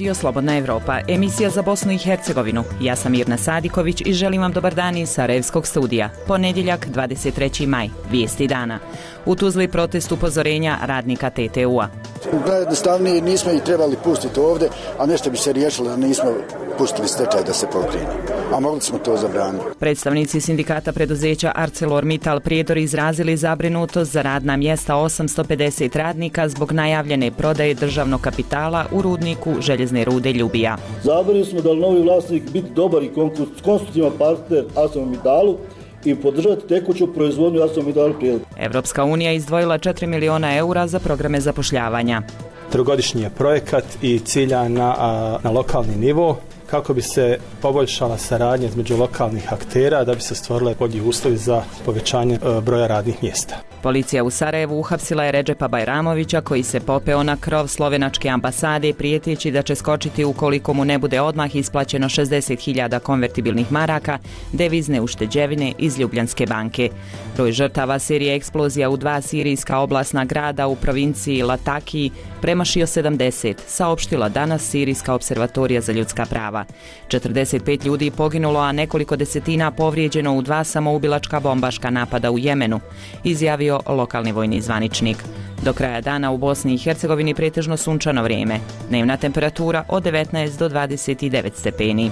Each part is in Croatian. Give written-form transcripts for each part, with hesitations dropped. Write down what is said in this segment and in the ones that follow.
Radio Slobodna Evropa, emisija za Bosnu i Hercegovinu. Ja sam Mirna Sadiković i želim vam dobar dan iz Sarajevskog studija. Ponedjeljak, 23. maj, vijesti dana. U Tuzli protest upozorenja radnika TTU-a. Najjednostavnije nismo ih trebali pustiti ovdje, a nešto bi se riješilo da nismo pustili stečaj da se pokrene. A mogli smo to zabraniti. Predstavnici sindikata preduzeća ArcelorMittal Prijedor izrazili zabrinutost za radna mjesta 850 radnika zbog najavljene prodaje državnog kapitala u rudniku željezne rude Ljubija. Zabrinuti smo da li novi vlasnik biti dobar i konstruktivan partner ArcelorMittalu i podržati tekuću proizvodnju ArcelorMittal Prijedor. Evropska unija izdvojila 4 miliona eura za programe zapošljavanja. Trogodišnji je projekat i cilja na lokalni nivo kako bi se poboljšala saradnja između lokalnih aktera da bi se stvorile bolji uslovi za povećanje broja radnih mjesta. Policija u Sarajevu uhapsila je Redžepa Bajramovića koji se popeo na krov slovenačke ambasade prijeteći da će skočiti ukoliko mu ne bude odmah isplaćeno 60.000 konvertibilnih maraka devizne ušteđevine iz Ljubljanske banke. Broj žrtava serije eksplozija u 2 sirijska oblastna grada u provinciji Latakiji premašio 70, saopštila danas Sirijska observatorija za ljudska prava. 45 ljudi poginulo, a nekoliko desetina povrijeđeno u 2 samoubilačka bombaška napada u Jemenu, izjavio lokalni vojni zvaničnik. Do kraja dana u Bosni i Hercegovini pretežno sunčano vrijeme. Dnevna temperatura od 19 do 29 stepeni.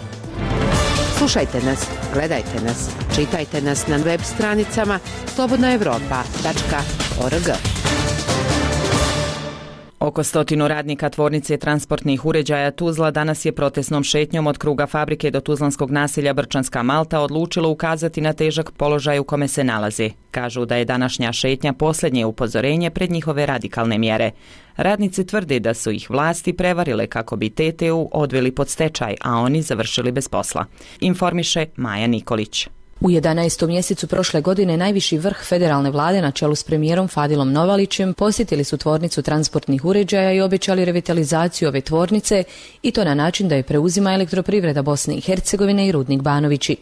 Slušajte nas, gledajte nas, čitajte nas na web stranicama slobodnaevropa.org. Oko 100 radnika tvornice transportnih uređaja Tuzla danas je protestnom šetnjom od kruga fabrike do tuzlanskog naselja Brčanska Malta odlučilo ukazati na težak položaj u kome se nalaze. Kažu da je današnja šetnja posljednje upozorenje pred njihove radikalne mjere. Radnici tvrde da su ih vlasti prevarile kako bi TTU odveli pod stečaj, a oni završili bez posla. Informiše Maja Nikolić. U 11. mjesecu prošle godine najviši vrh federalne vlade na čelu s premijerom Fadilom Novalićem posjetili su tvornicu transportnih uređaja i obećali revitalizaciju ove tvornice i to na način da je preuzima Elektroprivreda Bosne i Hercegovine i Rudnik Banovići.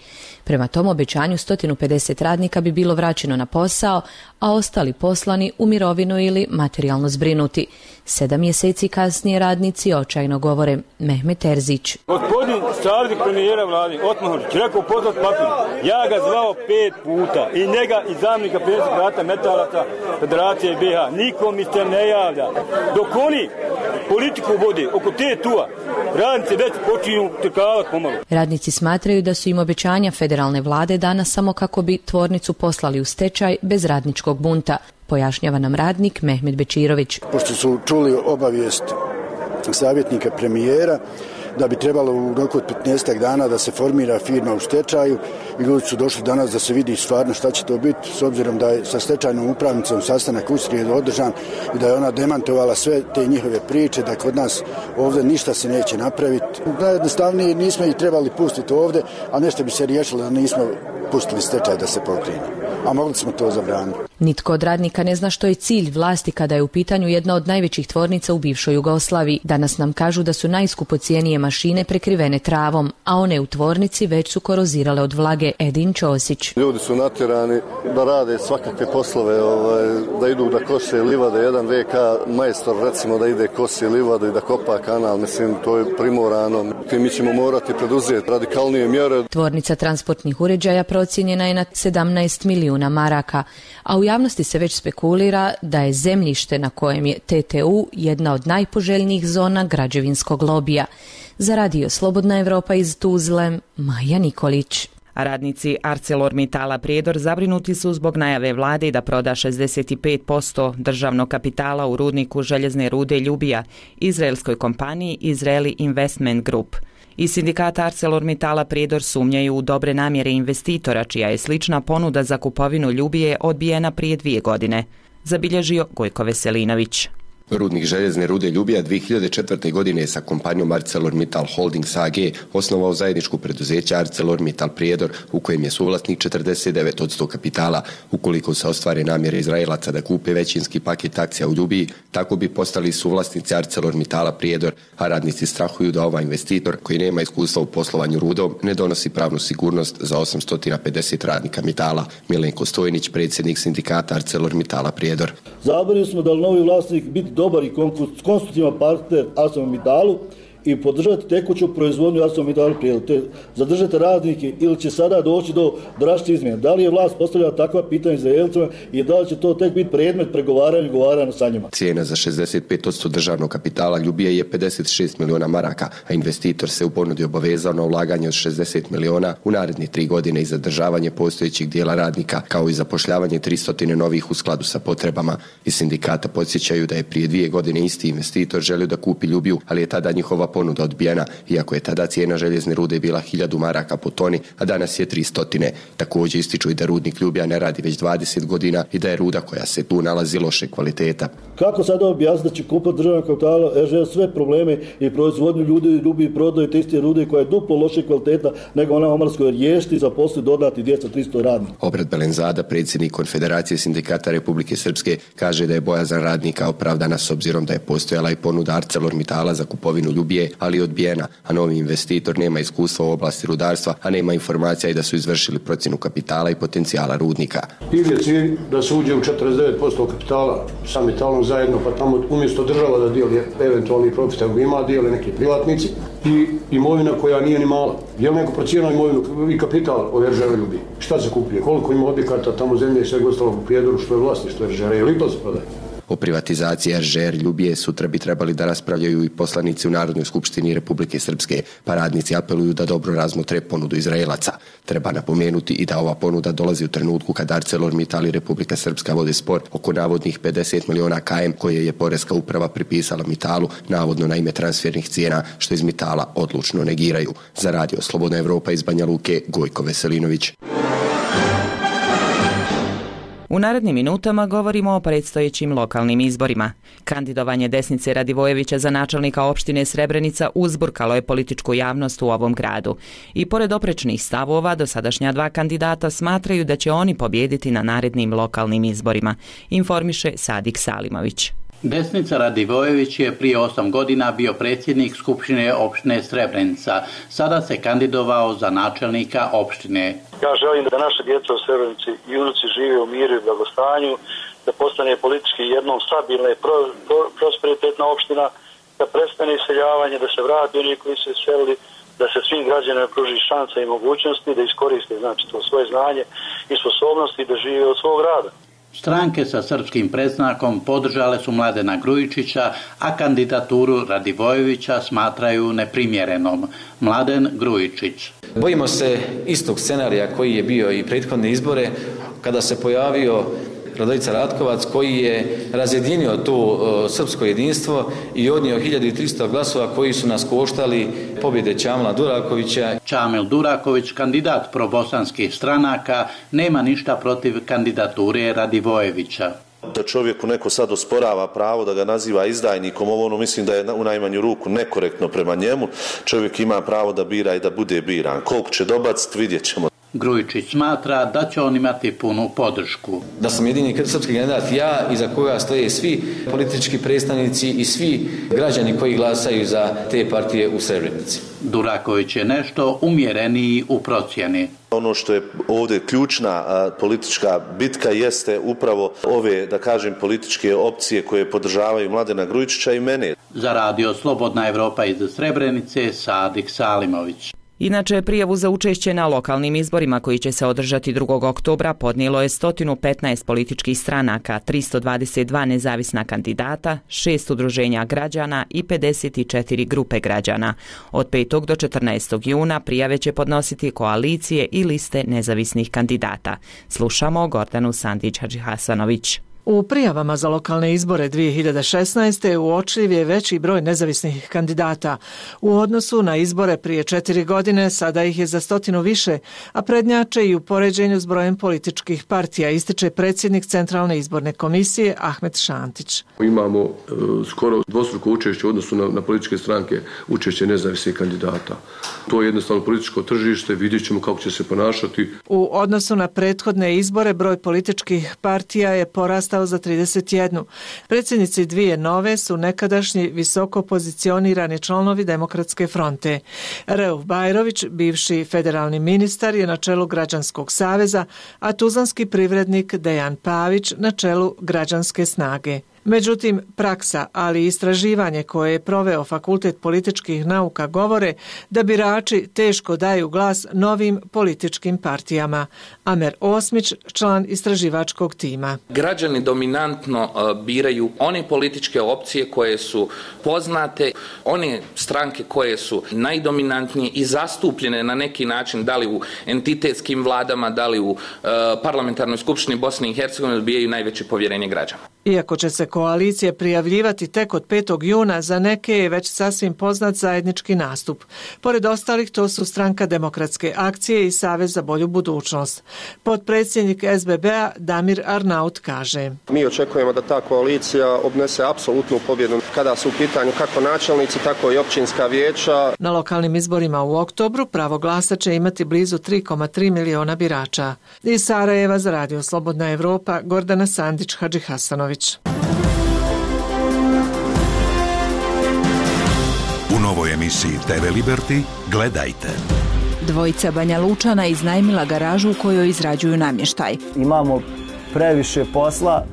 Prema tom obećanju 150 radnika bi bilo vraćeno na posao, a ostali poslani u mirovinu ili materijalno zbrinuti. 7 mjeseci kasnije radnici očajno govore. Mehmet Terzić. Gospodin savjetnik premijera vlade Otmanović rekao pozvat papir. Ja ga zvao 5 puta i njega i zamjenika predsjednika Rata Metalaca Federacije BiH. Nikom mi se ne javlja. Dok oni politiku vode oko TTU-a, radnici već počinju trkavati pomalo. Radnici smatraju da su im obećanja federalne vlade dana samo kako bi tvornicu poslali u stečaj bez radničkog bunta, pojašnjava nam radnik Mehmet Bečirović. Pošto su čuli obavijest savjetnika premijera da bi trebalo u roku od 15 dana da se formira firma u stečaju i ljudi su došli danas da se vidi stvarno šta će to biti, s obzirom da je sa stečajnom upravnicom sastanak u srijedu održan i da je ona demantovala sve te njihove priče da kod nas ovdje ništa se neće napraviti. Najjednostavnije nismo ih trebali pustiti ovdje, a nešto bi se riješilo da nismo pustili stečaj da se pokrene. A mogli smo to zabraniti. Nitko od radnika ne zna što je cilj vlasti kada je u pitanju jedna od najvećih tvornica u bivšoj Jugoslaviji. Danas nam kažu da su najskupocijenije mašine prekrivene travom, a one u tvornici već su korozirale od vlage. Edin Ćosić. Ljudi su natjerani da rade svakakve poslove, da idu da kose livade, jedan VK majstor recimo da ide kosi livadu i da kopa kanal, mislim to je primorano. Mi ćemo morati preduzeti radikalnije mjere. Tvornica transportnih uređaja procijenjena je na 17 milijuna maraka, a u javnosti se već spekulira da je zemljište na kojem je TTU jedna od najpoželjnijih zona građevinskog lobija. Za Radio Slobodna Evropa iz Tuzle, Maja Nikolić. Radnici ArcelorMittala Prijedor zabrinuti su zbog najave vlade da proda 65% državnog kapitala u rudniku željezne rude Ljubija izraelskoj kompaniji Israeli Investment Group. Iz sindikata ArcelorMittala Prijedor sumnjaju u dobre namjere investitora, čija je slična ponuda za kupovinu Ljubije odbijena prije 2 godine, zabilježio Gojko Veselinović. Rudnik željezne rude Ljubija 2004. godine sa kompanijom ArcelorMittal Holdings AG osnovao zajedničko preduzeće ArcelorMittal Prijedor u kojem je suvlasnik 49% kapitala. Ukoliko se ostvare namjere Izraelaca da kupe većinski paket akcija u Ljubiji, tako bi postali suvlasnici ArcelorMittala Prijedor, a radnici strahuju da ovaj investitor, koji nema iskustva u poslovanju rudom, ne donosi pravnu sigurnost za 850 radnika Mitala. Milenko Stojnić, predsjednik sindikata ArcelorMittala Prijedor. Zabrinuti smo da li novi vlasnik biti dobar i konstruktivan partner ArcelorMittalu i podržati tekuću proizvodnju ArcelorMittal Prijedor, te zadržati radnike ili će sada doći do drastičnih izmjena. Da li je vlast postavljala takva pitanja Izraelcima i da li će to tek biti predmet pregovaranja i ugovaranja sa njima? Cijena za 65% državnog kapitala Ljubije je 56 miliona maraka, a investitor se u ponudi obavezao na ulaganje od 60 miliona u naredne 3 godine i zadržavanje postojećih dijela radnika, kao i zapošljavanje 300 novih u skladu sa potrebama. Iz sindikata podsjećaju da je prije 2 godine isti investitor želio da kupi Ljubiju, ali je tada njihova ponuda odbijena, iako je tada cijena željezne rude bila 1000 maraka po toni, a danas je 300. Također ističu i da rudnik Ljubija ne radi već 20 godina i da je ruda koja se tu nalazi loše kvaliteta. Kako sada objasniti da će kupiti državnog kapitala RŽ sve probleme i proizvodnju ljudi i prodaju te iste rude koja je duplo loše kvaliteta nego ona Omarskoj riješiti za poslije dodati 200-300 radnika? Obrat Belenzada, predsjednik Konfederacije sindikata Republike Srpske, kaže da je bojazan radnika opravdana s obzirom da je postojala i ponuda ArcelorMittala za kupovinu Ljubije, ali odbijena, a novi investitor nema iskustva u oblasti rudarstva, a nema informacija i da su izvršili procjenu kapitala i potencijala rudnika. Ili je cilj da se uđe u 49% kapitala sa Mittalom zajedno, pa tamo umjesto država da dijeli eventualni profit, ima dijeli neki privatnici i imovina koja nije ni mala. Je li neko procijenio imovinu i kapital ove RŽ-a Ljubije? Šta se kupuje? Koliko ima objekata tamo zemlje i svega ostalog u Prijedoru što je vlasništvo RŽ-a? Je li to se prodaje? O privatizaciji RŽ Ljubije sutra bi trebali da raspravljaju i poslanici u Narodnoj skupštini Republike Srpske, pa radnici apeluju da dobro razmotre ponudu Izraelaca. Treba napomenuti i da ova ponuda dolazi u trenutku kad ArcelorMittal i Republika Srpska vode spor oko navodnih 50 miliona KM koje je Poreska uprava pripisala Mittalu, navodno na ime transfernih cijena, što iz Mittala odlučno negiraju. Za Radio Slobodna Evropa iz Banja Luke, Gojko Veselinović. U narednim minutama govorimo o predstojećim lokalnim izborima. Kandidovanje Desnice Radivojevića za načelnika opštine Srebrenica uzburkalo je političku javnost u ovom gradu. I pored oprečnih stavova, dosadašnja 2 kandidata smatraju da će oni pobijediti na narednim lokalnim izborima, informiše Sadik Salimović. Desnica Radivojević je prije 8 godina bio predsjednik Skupštine opštine Srebrenica. Sada se kandidovao za načelnika opštine. Ja želim da naša djeca u Srebrenici i unuci žive u miru i blagostanju, da postane politički jednom stabilna i prosperitetna opština, da prestane iseljavanje, da se vrati oni koji su iselili, da se svim građanima pruži šansa i mogućnosti da iskoriste to svoje znanje i sposobnosti da žive od svog rada. Stranke sa srpskim predznakom podržale su Mladena Grujičića, a kandidaturu Radivojevića smatraju neprimjerenom. Mladen Grujičić. Bojimo se istog scenarija koji je bio i prethodne izbore, kada se pojavio Radojica Ratkovac koji je razjedinio to srpsko jedinstvo i odnio 1300 glasova koji su nas koštali pobjede Čamila Durakovića. Čamil Duraković, kandidat probosanskih stranaka, nema ništa protiv kandidature Radivojevića. Da čovjeku neko sad osporava pravo da ga naziva izdajnikom, ovo mislim da je u najmanju ruku nekorektno prema njemu. Čovjek ima pravo da bira i da bude biran. Koliko će dobaciti, vidjet ćemo. Grujičić smatra da će on imati punu podršku. Da sam jedini srpski kandidat ja, iza koga stoje svi politički predstavnici i svi građani koji glasaju za te partije u Srebrenici. Duraković je nešto umjereniji u procjeni. Ono što je ovdje ključna politička bitka jeste upravo ove, da kažem, političke opcije koje podržavaju Mladena Grujičića i mene. Za Radio Slobodna Evropa iz Srebrenice, Sadik Salimović. Inače, prijavu za učešće na lokalnim izborima koji će se održati 2. oktobra podnijelo je 115 političkih stranaka, 322 nezavisna kandidata, 6 udruženja građana i 54 grupe građana. Od 5. do 14. juna prijave će podnositi koalicije i liste nezavisnih kandidata. Slušamo Gordanu Sandić-Hadžihasanović. U prijavama za lokalne izbore 2016. uočljiv je veći broj nezavisnih kandidata. U odnosu na izbore prije 4 godine sada ih je za 100 više, a prednjače i u poređenju s brojem političkih partija, ističe predsjednik Centralne izborne komisije Ahmet Šantić. Imamo skoro dvostruko učešće u odnosu na političke stranke, učešće nezavisnih kandidata. To je jednostavno političko tržište, vidjet ćemo kako će se ponašati. U odnosu na prethodne izbore broj političkih partija je porastao za 31. Predsjednici 2 nove su nekadašnji visoko pozicionirani članovi Demokratske fronte. Reuf Bajrović, bivši federalni ministar, je na čelu Građanskog saveza, a tuzlanski privrednik Dejan Pavić na čelu Građanske snage. Međutim, praksa, ali i istraživanje koje je proveo Fakultet političkih nauka govore da birači teško daju glas novim političkim partijama. Amer Osmić, član istraživačkog tima. Građani dominantno biraju one političke opcije koje su poznate, one stranke koje su najdominantnije i zastupljene na neki način, da li u entitetskim vladama, da li u parlamentarnoj skupštini Bosne i Hercegovine, dobijaju najveće povjerenje građana. Iako će se koalicije prijavljivati tek od 5. juna, za neke je već sasvim poznat zajednički nastup. Pored ostalih, to su Stranka demokratske akcije i Savez za bolju budućnost. Potpredsjednik SBB-a Damir Arnaut kaže: Mi očekujemo da ta koalicija obnese apsolutnu pobjedu kada su u pitanju kako načelnici, tako i općinska vijeća. Na lokalnim izborima u oktobru pravo glasa će imati blizu 3,3 miliona birača. Iz Sarajeva za Radio Slobodna Evropa, Gordana Sandić, Hadži Hasanović. U novoj emisiji TV Liberty gledajte. Dvojica Banja Lučana iznajmila garažu u kojoj izrađuju namještaj. Imamo previše posla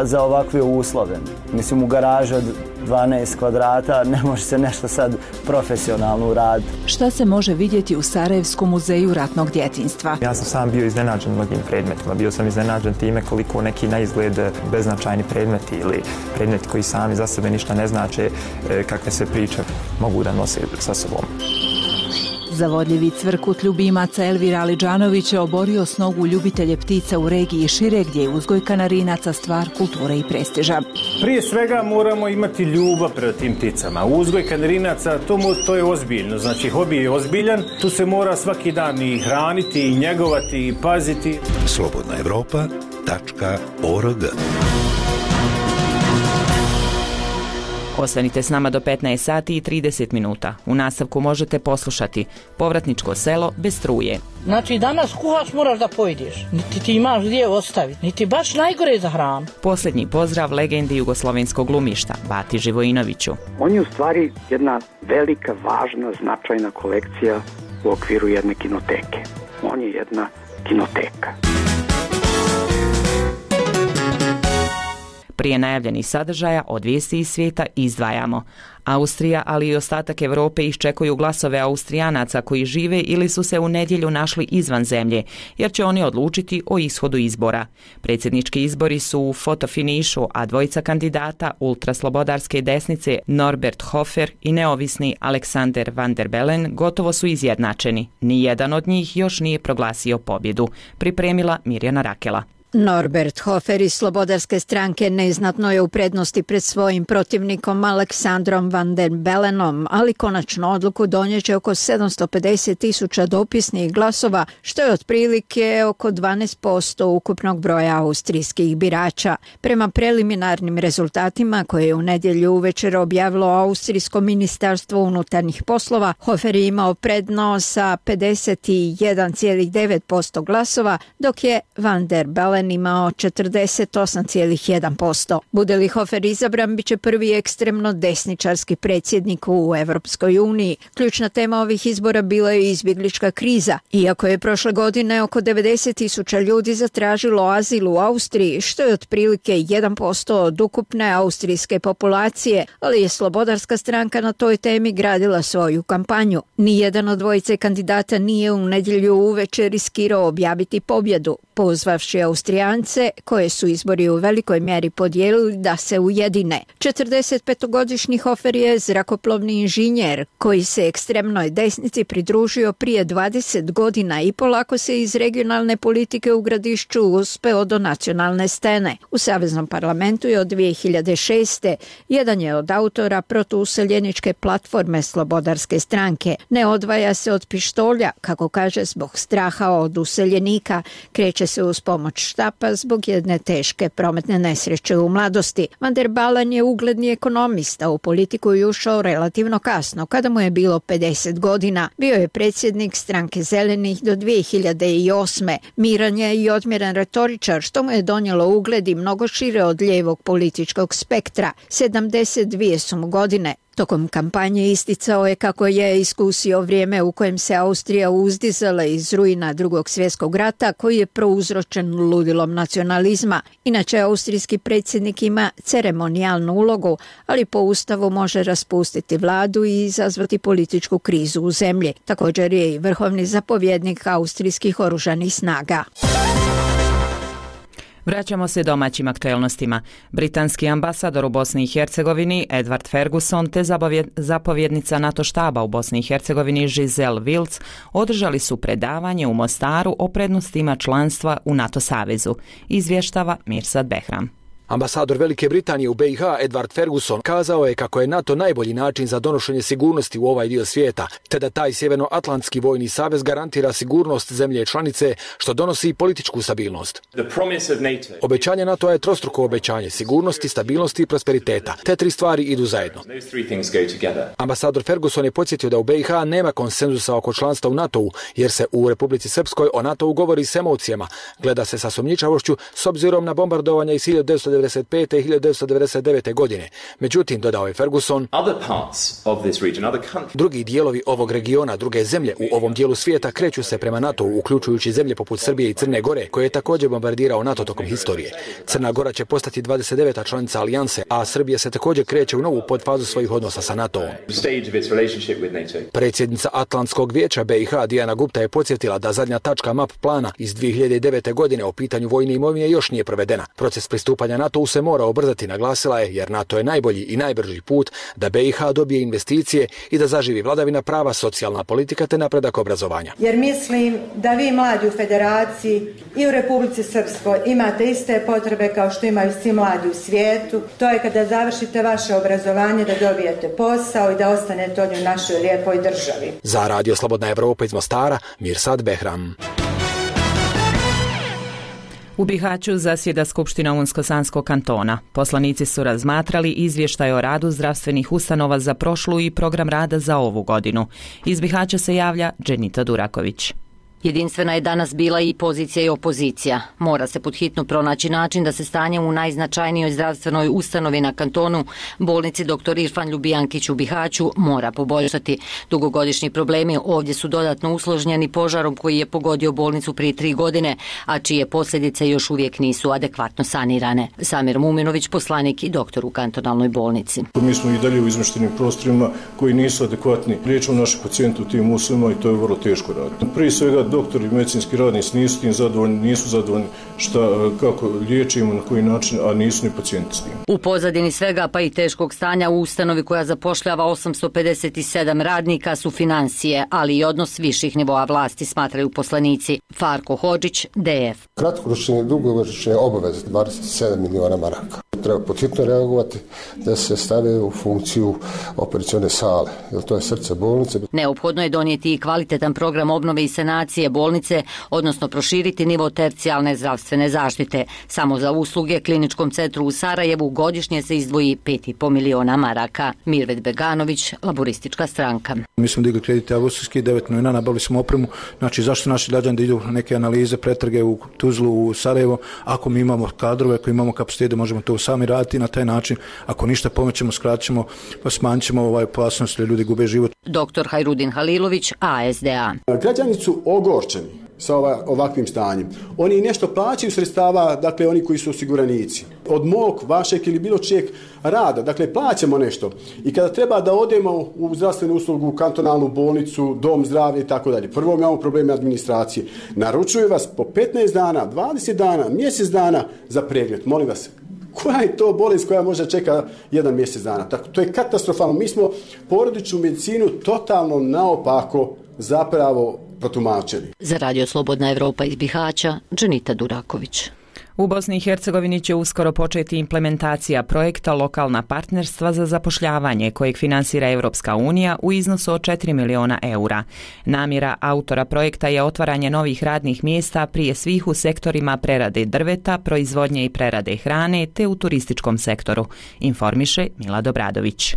za ovakve uslove. Mislim, u garaža 12 kvadrata ne može se nešto sad profesionalno uraditi. Šta se može vidjeti u Sarajevskom muzeju ratnog djetinjstva? Ja sam sam bio iznenađen mnogim predmetima. Bio sam iznenađen time koliko neki na izgled beznačajni predmeti ili predmeti koji sami za sebe ništa ne znače, kakve se priče mogu da nose sa sobom. Zavodljivi cvrkut ljubimaca Elvira Aliđanovića oborio s nogu ljubitelje ptica u regiji šire, gdje je uzgoj kanarinaca stvar kulture i prestiža. Prije svega moramo imati ljubav prema tim pticama. Uzgoj kanarinaca, to je ozbiljno. Znači, hobi je ozbiljan. Tu se mora svaki dan i hraniti, i njegovati, i paziti. slobodnaevropa.org. Ostanite s nama do 15 sati i 30 minuta. U nastavku možete poslušati Povratničko selo bez struje. Znači, danas kuhaš moraš da pojedeš. Niti ti imaš gdje ostaviti. Niti baš najgore za hranu. Posljednji pozdrav legendi jugoslovenskog glumišta, Bati Živojinoviću. On je u stvari jedna velika, važna, značajna kolekcija u okviru jedne kinoteke. On je jedna kinoteka. Prije najavljenih sadržaja od vijesti iz svijeta izdvajamo. Austrija, ali i ostatak Europe iščekuju glasove Austrijanaca koji žive ili su se u nedjelju našli izvan zemlje, jer će oni odlučiti o ishodu izbora. Predsjednički izbori su u fotofinišu, a dvojica kandidata ultraslobodarske desnice Norbert Hofer i neovisni Alexander van der Bellen gotovo su izjednačeni. Nijedan od njih još nije proglasio pobjedu. Pripremila Mirjana Rakela. Norbert Hofer iz Slobodarske stranke neznatno je u prednosti pred svojim protivnikom Aleksandrom van der Bellenom, ali konačno odluku donijeće oko 750.000 dopisnih glasova, što je otprilike oko 12% ukupnog broja austrijskih birača. Prema preliminarnim rezultatima koje je u nedjelju uvečer objavilo Austrijsko ministarstvo unutarnjih poslova, Hofer je imao prednost sa 51,9% glasova, dok je van der Bellen imao 48,1%. Bude li Hofer izabran, bit će prvi ekstremno desničarski predsjednik u Evropskoj uniji. Ključna tema ovih izbora bila je izbjeglička kriza. Iako je prošle godine oko 90.000 ljudi zatražilo azil u Austriji, što je otprilike 1% od ukupne austrijske populacije, ali je Slobodarska stranka na toj temi gradila svoju kampanju. Nijedan od dvojice kandidata nije u nedjelju uveče riskirao objaviti pobjedu, pozvavši Austrijance, koje su izbori u velikoj mjeri podijelili, da se ujedine. 45-godišnji Hofer je zrakoplovni inženjer koji se ekstremnoj desnici pridružio prije 20 godina i polako se iz regionalne politike u Gradišću uspeo do nacionalne scene. U Saveznom parlamentu je od 2006. jedan je od autora protuuseljeničke platforme Slobodarske stranke. Ne odvaja se od pištolja, kako kaže, zbog straha od useljenika, kreće se uz pomoć štapa zbog jedne teške prometne nesreće u mladosti. Van der Bellen je ugledni ekonomista, u politiku je ušao relativno kasno, kada mu je bilo 50 godina. Bio je predsjednik stranke Zelenih do 2008. Miran je i odmjeran retoričar, što mu je donijelo ugled i mnogo šire od lijevog političkog spektra. 72 su mu godine. Tokom kampanje isticao je kako je iskusio vrijeme u kojem se Austrija uzdizala iz ruina Drugog svjetskog rata koji je prouzročen ludilom nacionalizma. Inače, austrijski predsjednik ima ceremonijalnu ulogu, ali po ustavu može raspustiti vladu i izazvati političku krizu u zemlji. Također je i vrhovni zapovjednik austrijskih oružanih snaga. Vraćamo se domaćim aktuelnostima. Britanski ambasador u Bosni i Hercegovini Edward Ferguson te zapovjednica NATO štaba u Bosni i Hercegovini Giselle Wills održali su predavanje u Mostaru o prednostima članstva u NATO savezu, izvještava Mirsad Behram. Ambasador Velike Britanije u BiH Edward Ferguson kazao je kako je NATO najbolji način za donošenje sigurnosti u ovaj dio svijeta, te da taj Sjevernoatlantski vojni savez garantira sigurnost zemlje članice, što donosi političku stabilnost. Obećanje NATO je trostruko obećanje sigurnosti, stabilnosti i prosperiteta. Te tri stvari idu zajedno. Ambasador Ferguson je podsjetio da u BiH nema konsenzusa oko članstva u NATO-u, jer se u Republici Srpskoj o NATO-u govori s emocijama, gleda se sa sumnjičavošću s obzirom na bombardovanja iz 1995. i 1999. godine. Međutim, dodao je Ferguson, drugi dijelovi ovog regiona, druge zemlje u ovom dijelu svijeta kreću se prema NATO-u, uključujući zemlje poput Srbije i Crne Gore, koje je također bombardirao NATO tokom historije. Crna Gora će postati 29. članica alijanse, a Srbija se također kreće u novu podfazu svojih odnosa sa NATO-om. Predsjednica Atlantskog vijeća BiH Dijana Gupta je podsjetila da zadnja tačka MAP plana iz 2009. godine o pitanju vojne imovine još nije provedena. Proces pristupanja NATO-u se mora ubrzati, naglasila je, jer NATO je najbolji i najbrži put da BiH dobije investicije i da zaživi vladavina prava, socijalna politika te napredak obrazovanja. Jer mislim da vi mladi u Federaciji i u Republici Srpskoj imate iste potrebe kao što imaju svi mladi u svijetu. To je kada završite vaše obrazovanje da dobijete posao i da ostanete ovdje u našoj lijepoj državi. Za Radio Slobodna Evropa iz Mostara, Mirsad Behram. U Bihaću zasjeda Skupština Unsko-Sanskog kantona. Poslanici su razmatrali izvještaj o radu zdravstvenih ustanova za prošlu i program rada za ovu godinu. Iz Bihaća se javlja Dženita Duraković. Jedinstvena je danas bila i pozicija i opozicija. Mora se podhitno pronaći način da se stanje u najznačajnijoj zdravstvenoj ustanovi na kantonu, bolnici dr. Irfan Ljubijankić u Bihaću, mora poboljšati. Dugogodišnji problemi ovdje su dodatno usložnjeni požarom koji je pogodio bolnicu prije 3 godine, a čije posljedice još uvijek nisu adekvatno sanirane. Samir Muminović, poslanik i doktor u kantonalnoj bolnici. Mi smo i dalje u izmještenim prostorima koji nisu adekvatni. Liječimo naše pacijente u tim uslovima i to je vrlo teško raditi. Prije svega doktori i medicinski radnici nisu tim zadovoljni, nisu zadovoljni kako liječimo, na koji način, a nisu ni pacijenti s tim. U pozadini svega pa i teškog stanja u ustanovi koja zapošljava 857 radnika su financije, ali i odnos viših nivoa vlasti, smatraju poslanici. Farko Hodžić, DF. Kratkoročne i dugoročne obaveze 27 miliona maraka. Treba podhitno reagovati da se stave u funkciju operacione sale, jer to je srce bolnice. Neophodno je donijeti i kvalitetan program obnove i sanacije bolnice, odnosno proširiti nivo tercijalne zdravstvene zaštite. Samo za usluge kliničkom centru u Sarajevu godišnje se izdvoji 5,5 miliona maraka. Mirvet Beganović, Laboristička stranka. Mi smo digli kredite augustovski, 9 miliona, nabavili smo opremu. Znači, zašto naši građani da idu neke analize, pretrage u Tuzlu, u Sarajevo, ako mi imamo kadrove, ako imamo kapacitete, možemo to sami raditi na taj način. Ako ništa pomoćemo, skraćemo, pa smanjimo opasnost da ljudi gube život. Dr. Hajrudin Halilović, ASDA. Građani su ogorčeni sa ovakvim stanjem. Oni nešto plaćaju sredstava, dakle oni koji su osiguranici. Od mog, vašeg ili bilo čijeg rada, dakle plaćamo nešto. I kada treba da odemo u zdravstvenu uslugu, kantonalnu bolnicu, dom zdravlja i tako dalje. Prvo imamo probleme administracije. Naručuju vas po 15 dana, 20 dana, mjesec dana za pregled. Molim vas, koja je to bolest koja može čeka 1 mjesec dana? Tako, to je katastrofalno. Mi smo porodičnu medicinu totalno naopako zapravo protumačili. Za Radio Slobodna Evropa iz Bihaća, Dženita Duraković. U Bosni i Hercegovini će uskoro početi implementacija projekta Lokalna partnerstva za zapošljavanje kojeg finansira Europska unija u iznosu od 4 miliona eura. Namjera autora projekta je otvaranje novih radnih mjesta prije svih u sektorima prerade drveta, proizvodnje i prerade hrane te u turističkom sektoru, informiše Mila Dobradović.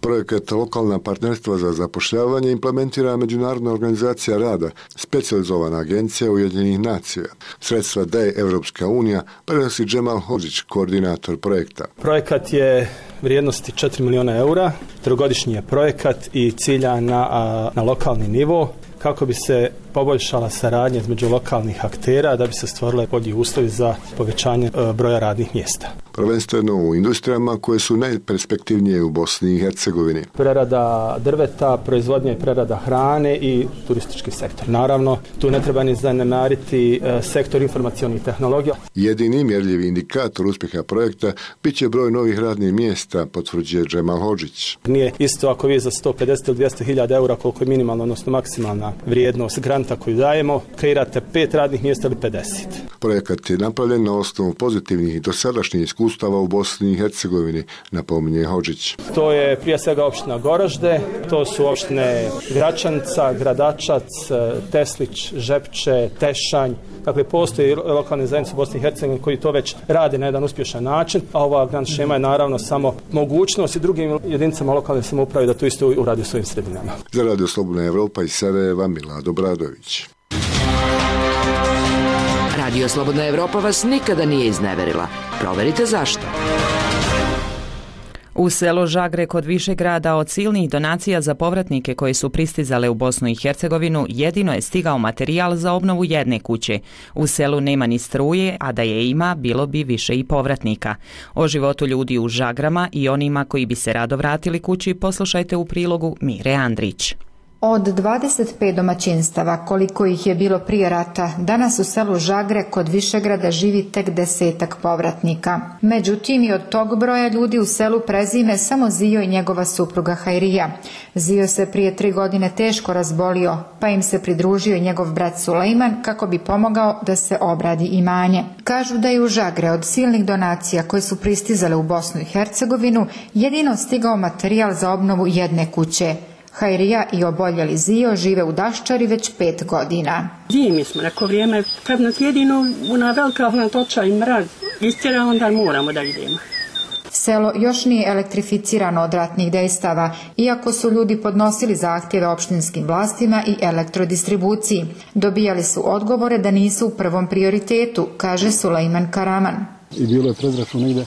Projekat Lokalna partnerstva za zapošljavanje implementira Međunarodna organizacija rada, specijalizovana agencija Ujedinjenih nacija. Sredstva daje Evropska unija, prenosi Džemal Hodžić, koordinator projekta. Projekat je vrijednosti 4 milijuna eura, trogodišnji je projekat i cilja na lokalni nivo kako bi se poboljšala saradnja između lokalnih aktera da bi se stvorile bolji uslovi za povećanje broja radnih mjesta. Prvenstveno u industrijama koje su najperspektivnije u Bosni i Hercegovini. Prerada drveta, proizvodnja i prerada hrane i turistički sektor. Naravno, tu ne treba ni zanemariti sektor informacionih tehnologija. Jedini mjerljivi indikator uspjeha projekta bit će broj novih radnih mjesta, potvrđuje Džemal Hodžić. Nije isto ako vi za 150 ili 200 hiljada eura, koliko je minimalna, odnosno maksimalna vrijednost granta koju dajemo, kreirate 5 radnih mjesta ili 50. Projekat je napravljen na osnovu pozitivnih i dosadašnjih iskustava u Bosni i Hercegovini, napominje Hodžić. To je prije svega opština Goražde, to su opštine Gračanca, Gradačac, Teslić, Žepče, Tešanj. Dakle, postoji lokalne zajednice u Bosni i Hercegovini koji to već rade na jedan uspješan način, a ova grant šema je naravno samo mogućnost i drugim jedinicama lokalne samouprave da to isto uradi u svojim sredinama. Za Radio Slobodna Evropa iz Sarajeva, Milado Bradović. Radio Slobodna Evropa vas nikada nije izneverila. Proverite zašto. U selu Žagre kod Višegrada od silnih donacija za povratnike koji su pristizale u Bosnu i Hercegovinu jedino je stigao materijal za obnovu jedne kuće. U selu nema ni struje, a da je ima, bilo bi više i povratnika. O životu ljudi u Žagrama i onima koji bi se rado vratili kući poslušajte u prilogu Mire Andrić. Od 25 domaćinstava, koliko ih je bilo prije rata, danas u selu Žagre kod Višegrada živi tek 10 povratnika. Međutim, i od tog broja ljudi u selu prezime samo Zio i njegova supruga Hajrija. Zio se prije 3 godine teško razbolio, pa im se pridružio i njegov brat Sulejman kako bi pomogao da se obradi imanje. Kažu da je u Žagre od silnih donacija koje su pristizale u Bosnu i Hercegovinu jedino stigao materijal za obnovu jedne kuće. Hajrija i oboljeli Zio žive u Daščari već 5 godina. Zimi smo, neko vrijeme, kad nas jedino ona velika hladnoća i mrak istjera, onda moramo da idemo. Selo još nije elektrificirano od ratnih dejstava, iako su ljudi podnosili zahtjeve opštinskim vlastima i elektrodistribuciji. Dobijali su odgovore da nisu u prvom prioritetu, kaže Sulejman Karaman. I bilo je predračun negdje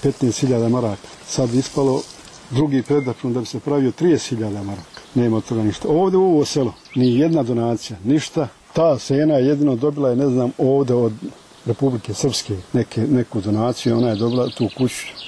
15.000 maraka. Sad ispalo drugi predračun da bi se pravio 30.000 maraka. Nema od toga ništa. Ovdje u ovo selo ni jedna donacija, ništa. Ta sena jedino dobila je, ne znam, ovdje od Republike Srpske neku donaciju, ona je dobila tu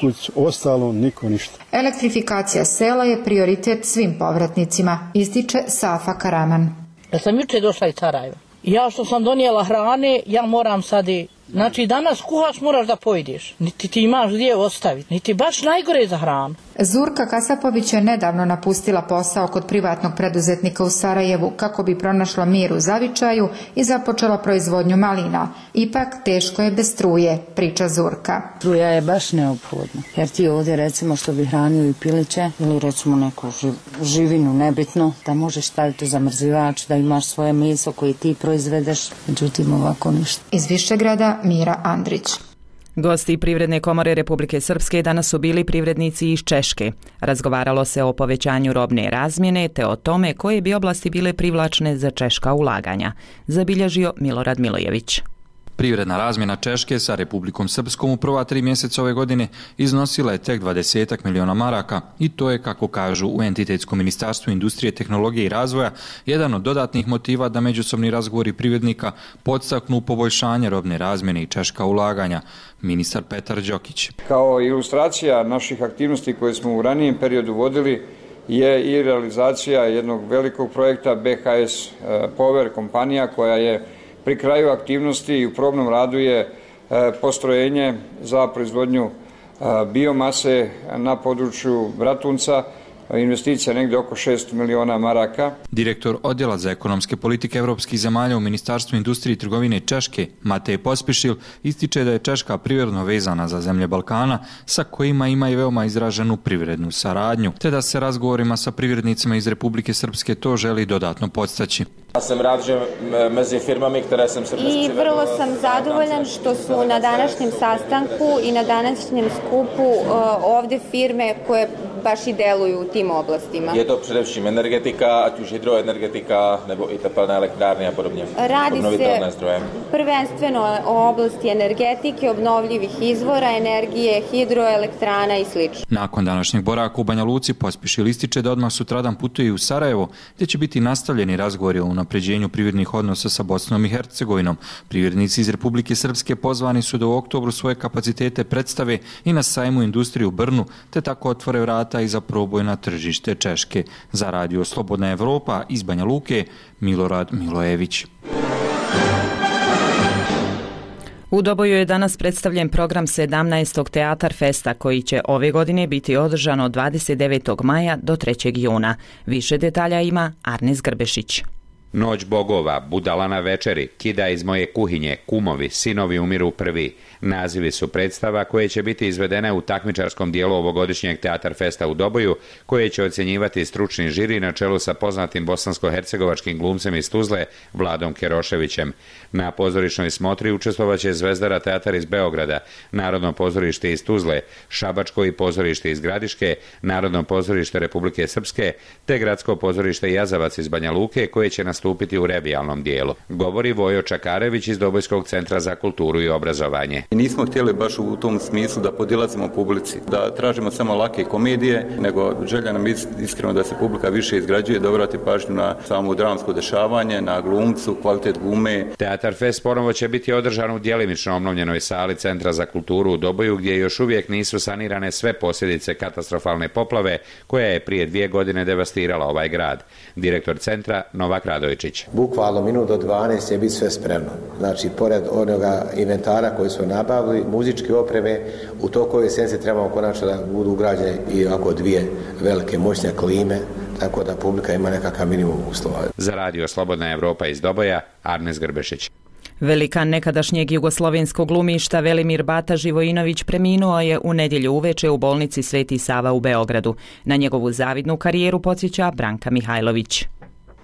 kuću, ostalo niko ništa. Elektrifikacija sela je prioritet svim povratnicima, ističe Safa Karaman. Ja sam jučer došla iz Sarajeva. Ja što sam donijela hrane, ja moram sad i... Znači danas kuhaš moraš da pojedeš, niti ti imaš gdje ostaviti, niti baš najgore za hranu. Zurka Kasapović je nedavno napustila posao kod privatnog preduzetnika u Sarajevu kako bi pronašla mir u zavičaju i započela proizvodnju malina. Ipak teško je bez struje, priča Zurka. Struja je baš neophodna, jer ti ovdje recimo što bi hranio i piliće ili recimo neku živinu nebitno, da možeš staviti u zamrzivač, da imaš svoje meso koje ti proizvedeš, međutim ovako ništa. Iz Višegrada Mira Andrić. Gosti Privredne komore Republike Srpske danas su bili privrednici iz Češke. Razgovaralo se o povećanju robne razmjene te o tome koje bi oblasti bile privlačne za češka ulaganja, zabilježio Milorad Milojević. Privredna razmjena Češke sa Republikom Srpskom u prva 3 mjeseca ove godine iznosila je tek 20 miliona maraka i to je, kako kažu u Entitetskom ministarstvu industrije, tehnologije i razvoja, jedan od dodatnih motiva da međusobni razgovori privrednika podstaknu poboljšanje robne razmjene i češka ulaganja. Ministar Petar Đokić. Kao ilustracija naših aktivnosti koje smo u ranijem periodu vodili je i realizacija jednog velikog projekta BHS Power kompanija koja je pri kraju aktivnosti i u probnom radu je postrojenje za proizvodnju biomase na području Bratunca, investicija negdje oko 6 miliona maraka. Direktor Odjela za ekonomske politike evropskih zemalja u Ministarstvu industrije i trgovine Češke, Matej Pospišil, ističe da je Češka privredno vezana za zemlje Balkana, sa kojima ima i veoma izraženu privrednu saradnju, te da se razgovorima sa privrednicima iz Republike Srpske to želi dodatno podstaći. Ja sam radio među firmami, které sam se I vrlo sam zadovoljan što su na današnjem sastanku i na današnjem skupu ovdje firme koje baš i deluju u tim oblastima. Je to především energetika, ať už hydroenergetika nebo i tepelné elektrárny a podobně? Radi se prvenstveno o oblasti energetike, obnovljivih izvora energije, hidroelektrana i sl. Nakon današnjeg boravka u Banja Luci pospješil ističe da odmah sutradan putuje u Sarajevo, gdje će biti nastavljeni razgovori o unapređenju privrednih odnosa sa Bosnom i Hercegovinom. Privrednici iz Republike Srpske pozvani su da u oktobru svoje kapacitete predstave i na sajmu industriju u Brnu, te tako otvore vrata i za proboj na tržište Češke. Za radio Slobodna Evropa iz Banja Luke, Milorad Milojević. U Doboju je danas predstavljen program 17. Teatar Festa koji će ove godine biti održan od 29. maja do 3. juna. Više detalja ima Arnes Grbešić. Noć bogova, Budala na večeri, Kida iz moje kuhinje, Kumovi, Sinovi umiru prvi. Nazivi su predstava koje će biti izvedene u takmičarskom dijelu ovogodišnjeg Teatar Festa u Doboju, koje će ocjenjivati stručni žiri na čelu sa poznatim bosansko-hercegovačkim glumcem iz Tuzle, Vladom Keroševićem. Na pozorišnoj smotri učestvovaće Zvezdara teatar iz Beograda, Narodno pozorište iz Tuzle, Šabačko i pozorište iz Gradiške, Narodno pozorište Republike Srpske, te Gradsko pozorište Jazavac iz Banja Luke, koje će nastupiti u revijalnom dijelu. Govori Vojo Čakarević iz Dobojskog centra za kulturu i obrazovanje. Nismo htjeli baš u tom smislu da podilazimo publici, da tražimo samo lake komedije, nego želja nam iskreno da se publika više izgrađuje, da obrati pažnju na samo dramsko dešavanje, na glumcu, kvalitet glume. Teatar Fest ponovo će biti održan u djelimično obnovljenoj sali Centra za kulturu u Doboju, gdje još uvijek nisu sanirane sve posljedice katastrofalne poplave koja je prije 2 godine devastirala ovaj grad. Direktor centra Novak Radovičić. Bukvalno minut do 12 će biti sve spremno. Znači, pored onoga inventara koji su nabavili, muzičke opreme, u toku ove sedmice trebamo konačno da budu ugrađene i ovako 2 velike moćne klime, tako da publika ima nekakav minimum uslova. Za radio Slobodna Evropa iz Doboja, Arnes Grbešić. Velikan nekadašnjeg jugoslovenskog glumišta Velimir Bata Živojinović preminuo je u nedjelju uveče u bolnici Sveti Sava u Beogradu. Na njegovu zavidnu karijeru podsjeća Branka Mihajlović.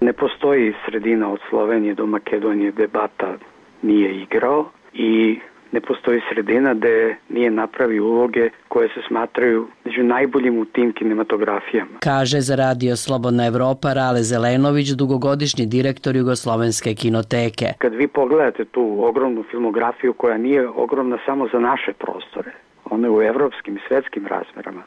Ne postoji sredina od Slovenije do Makedonije gde Bata nije igrao i ne postoji sredina gde nije napravio uloge koje se smatraju među najboljim u tim kinematografijama. Kaže za radio Slobodna Evropa Rale Zelenović, dugogodišnji direktor Jugoslovenske kinoteke. Kad vi pogledate tu ogromnu filmografiju koja nije ogromna samo za naše prostore, ona je u evropskim i svetskim razmerama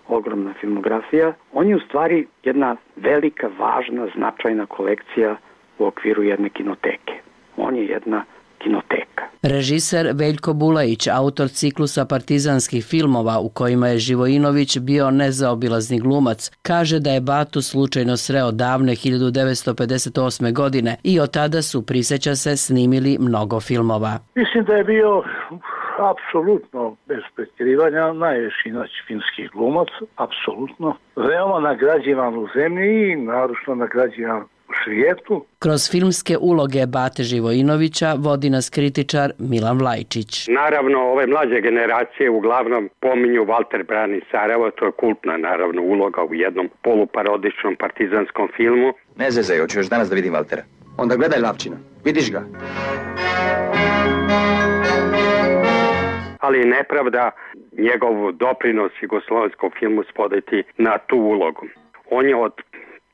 ogromna filmografija, on je u stvari jedna velika, važna, značajna kolekcija u okviru jedne kinoteke. On je jedna kinoteka. Režiser Veljko Bulajić, autor ciklusa partizanskih filmova u kojima je Živojinović bio nezaobilazni glumac, kaže da je Batu slučajno sreo davne 1958. godine i od tada su, prisjeća se, snimili mnogo filmova. Mislim da je bio apsolutno bez pretjerivanja najveći finski glumac, apsolutno. Veoma nagrađivan u zemlji i naročito nagrađivan u svijetu. Kroz filmske uloge Bate Živojinovića vodi nas kritičar Milan Vlajčić. Naravno, ove mlađe generacije uglavnom pominju Walter brani Sarajevo, to je kultna naravno uloga u jednom poluparodičnom partizanskom filmu. Ne zezaj, hoću još danas da vidim Valtera. Onda gledaj Lapčina, vidiš ga. Ali nepravda njegov doprinos jugoslovenskom filmu spodati na tu ulogu. On je od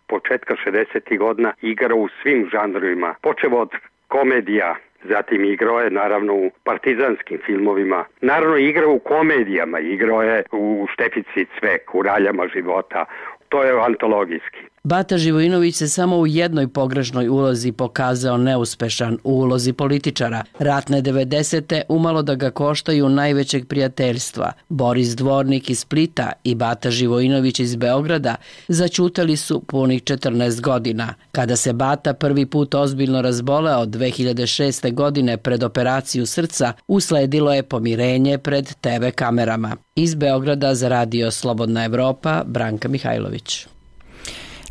početka 60. godina igrao u svim žanrovima, počeo od komedija, zatim igrao je naravno u partizanskim filmovima, naravno igrao u komedijama, igrao je u Štefici Cvek, u Raljama života, to je antologijski. Bata Živojinović se samo u jednoj pogrešnoj ulozi pokazao neuspešan, u ulozi političara. Ratne 90. umalo da ga koštaju najvećeg prijateljstva. Boris Dvornik iz Splita i Bata Živojinović iz Beograda začutali su punih 14 godina. Kada se Bata prvi put ozbiljno razboleo 2006. godine pred operaciju srca, usledilo je pomirenje pred TV kamerama. Iz Beograda za radio Slobodna Evropa, Branka Mihajlović.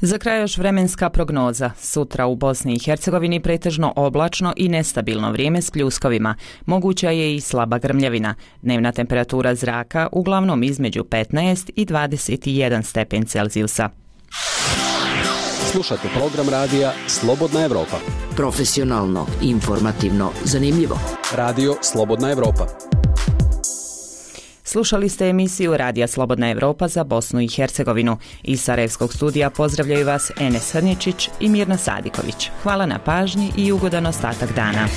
Za kraj još vremenska prognoza. Sutra u Bosni i Hercegovini pretežno oblačno i nestabilno vrijeme s pljuskovima. Moguća je i slaba grmljavina. Dnevna temperatura zraka uglavnom između 15 i 21 stepen Celzijusa. Slušajte program radija Slobodna Evropa. Profesionalno, informativno, zanimljivo. Radio Slobodna Evropa. Slušali ste emisiju Radija Slobodna Evropa za Bosnu i Hercegovinu. Iz Sarajevskog studija pozdravljaju vas Enes Hrničić i Mirna Sadiković. Hvala na pažnji i ugodan ostatak dana.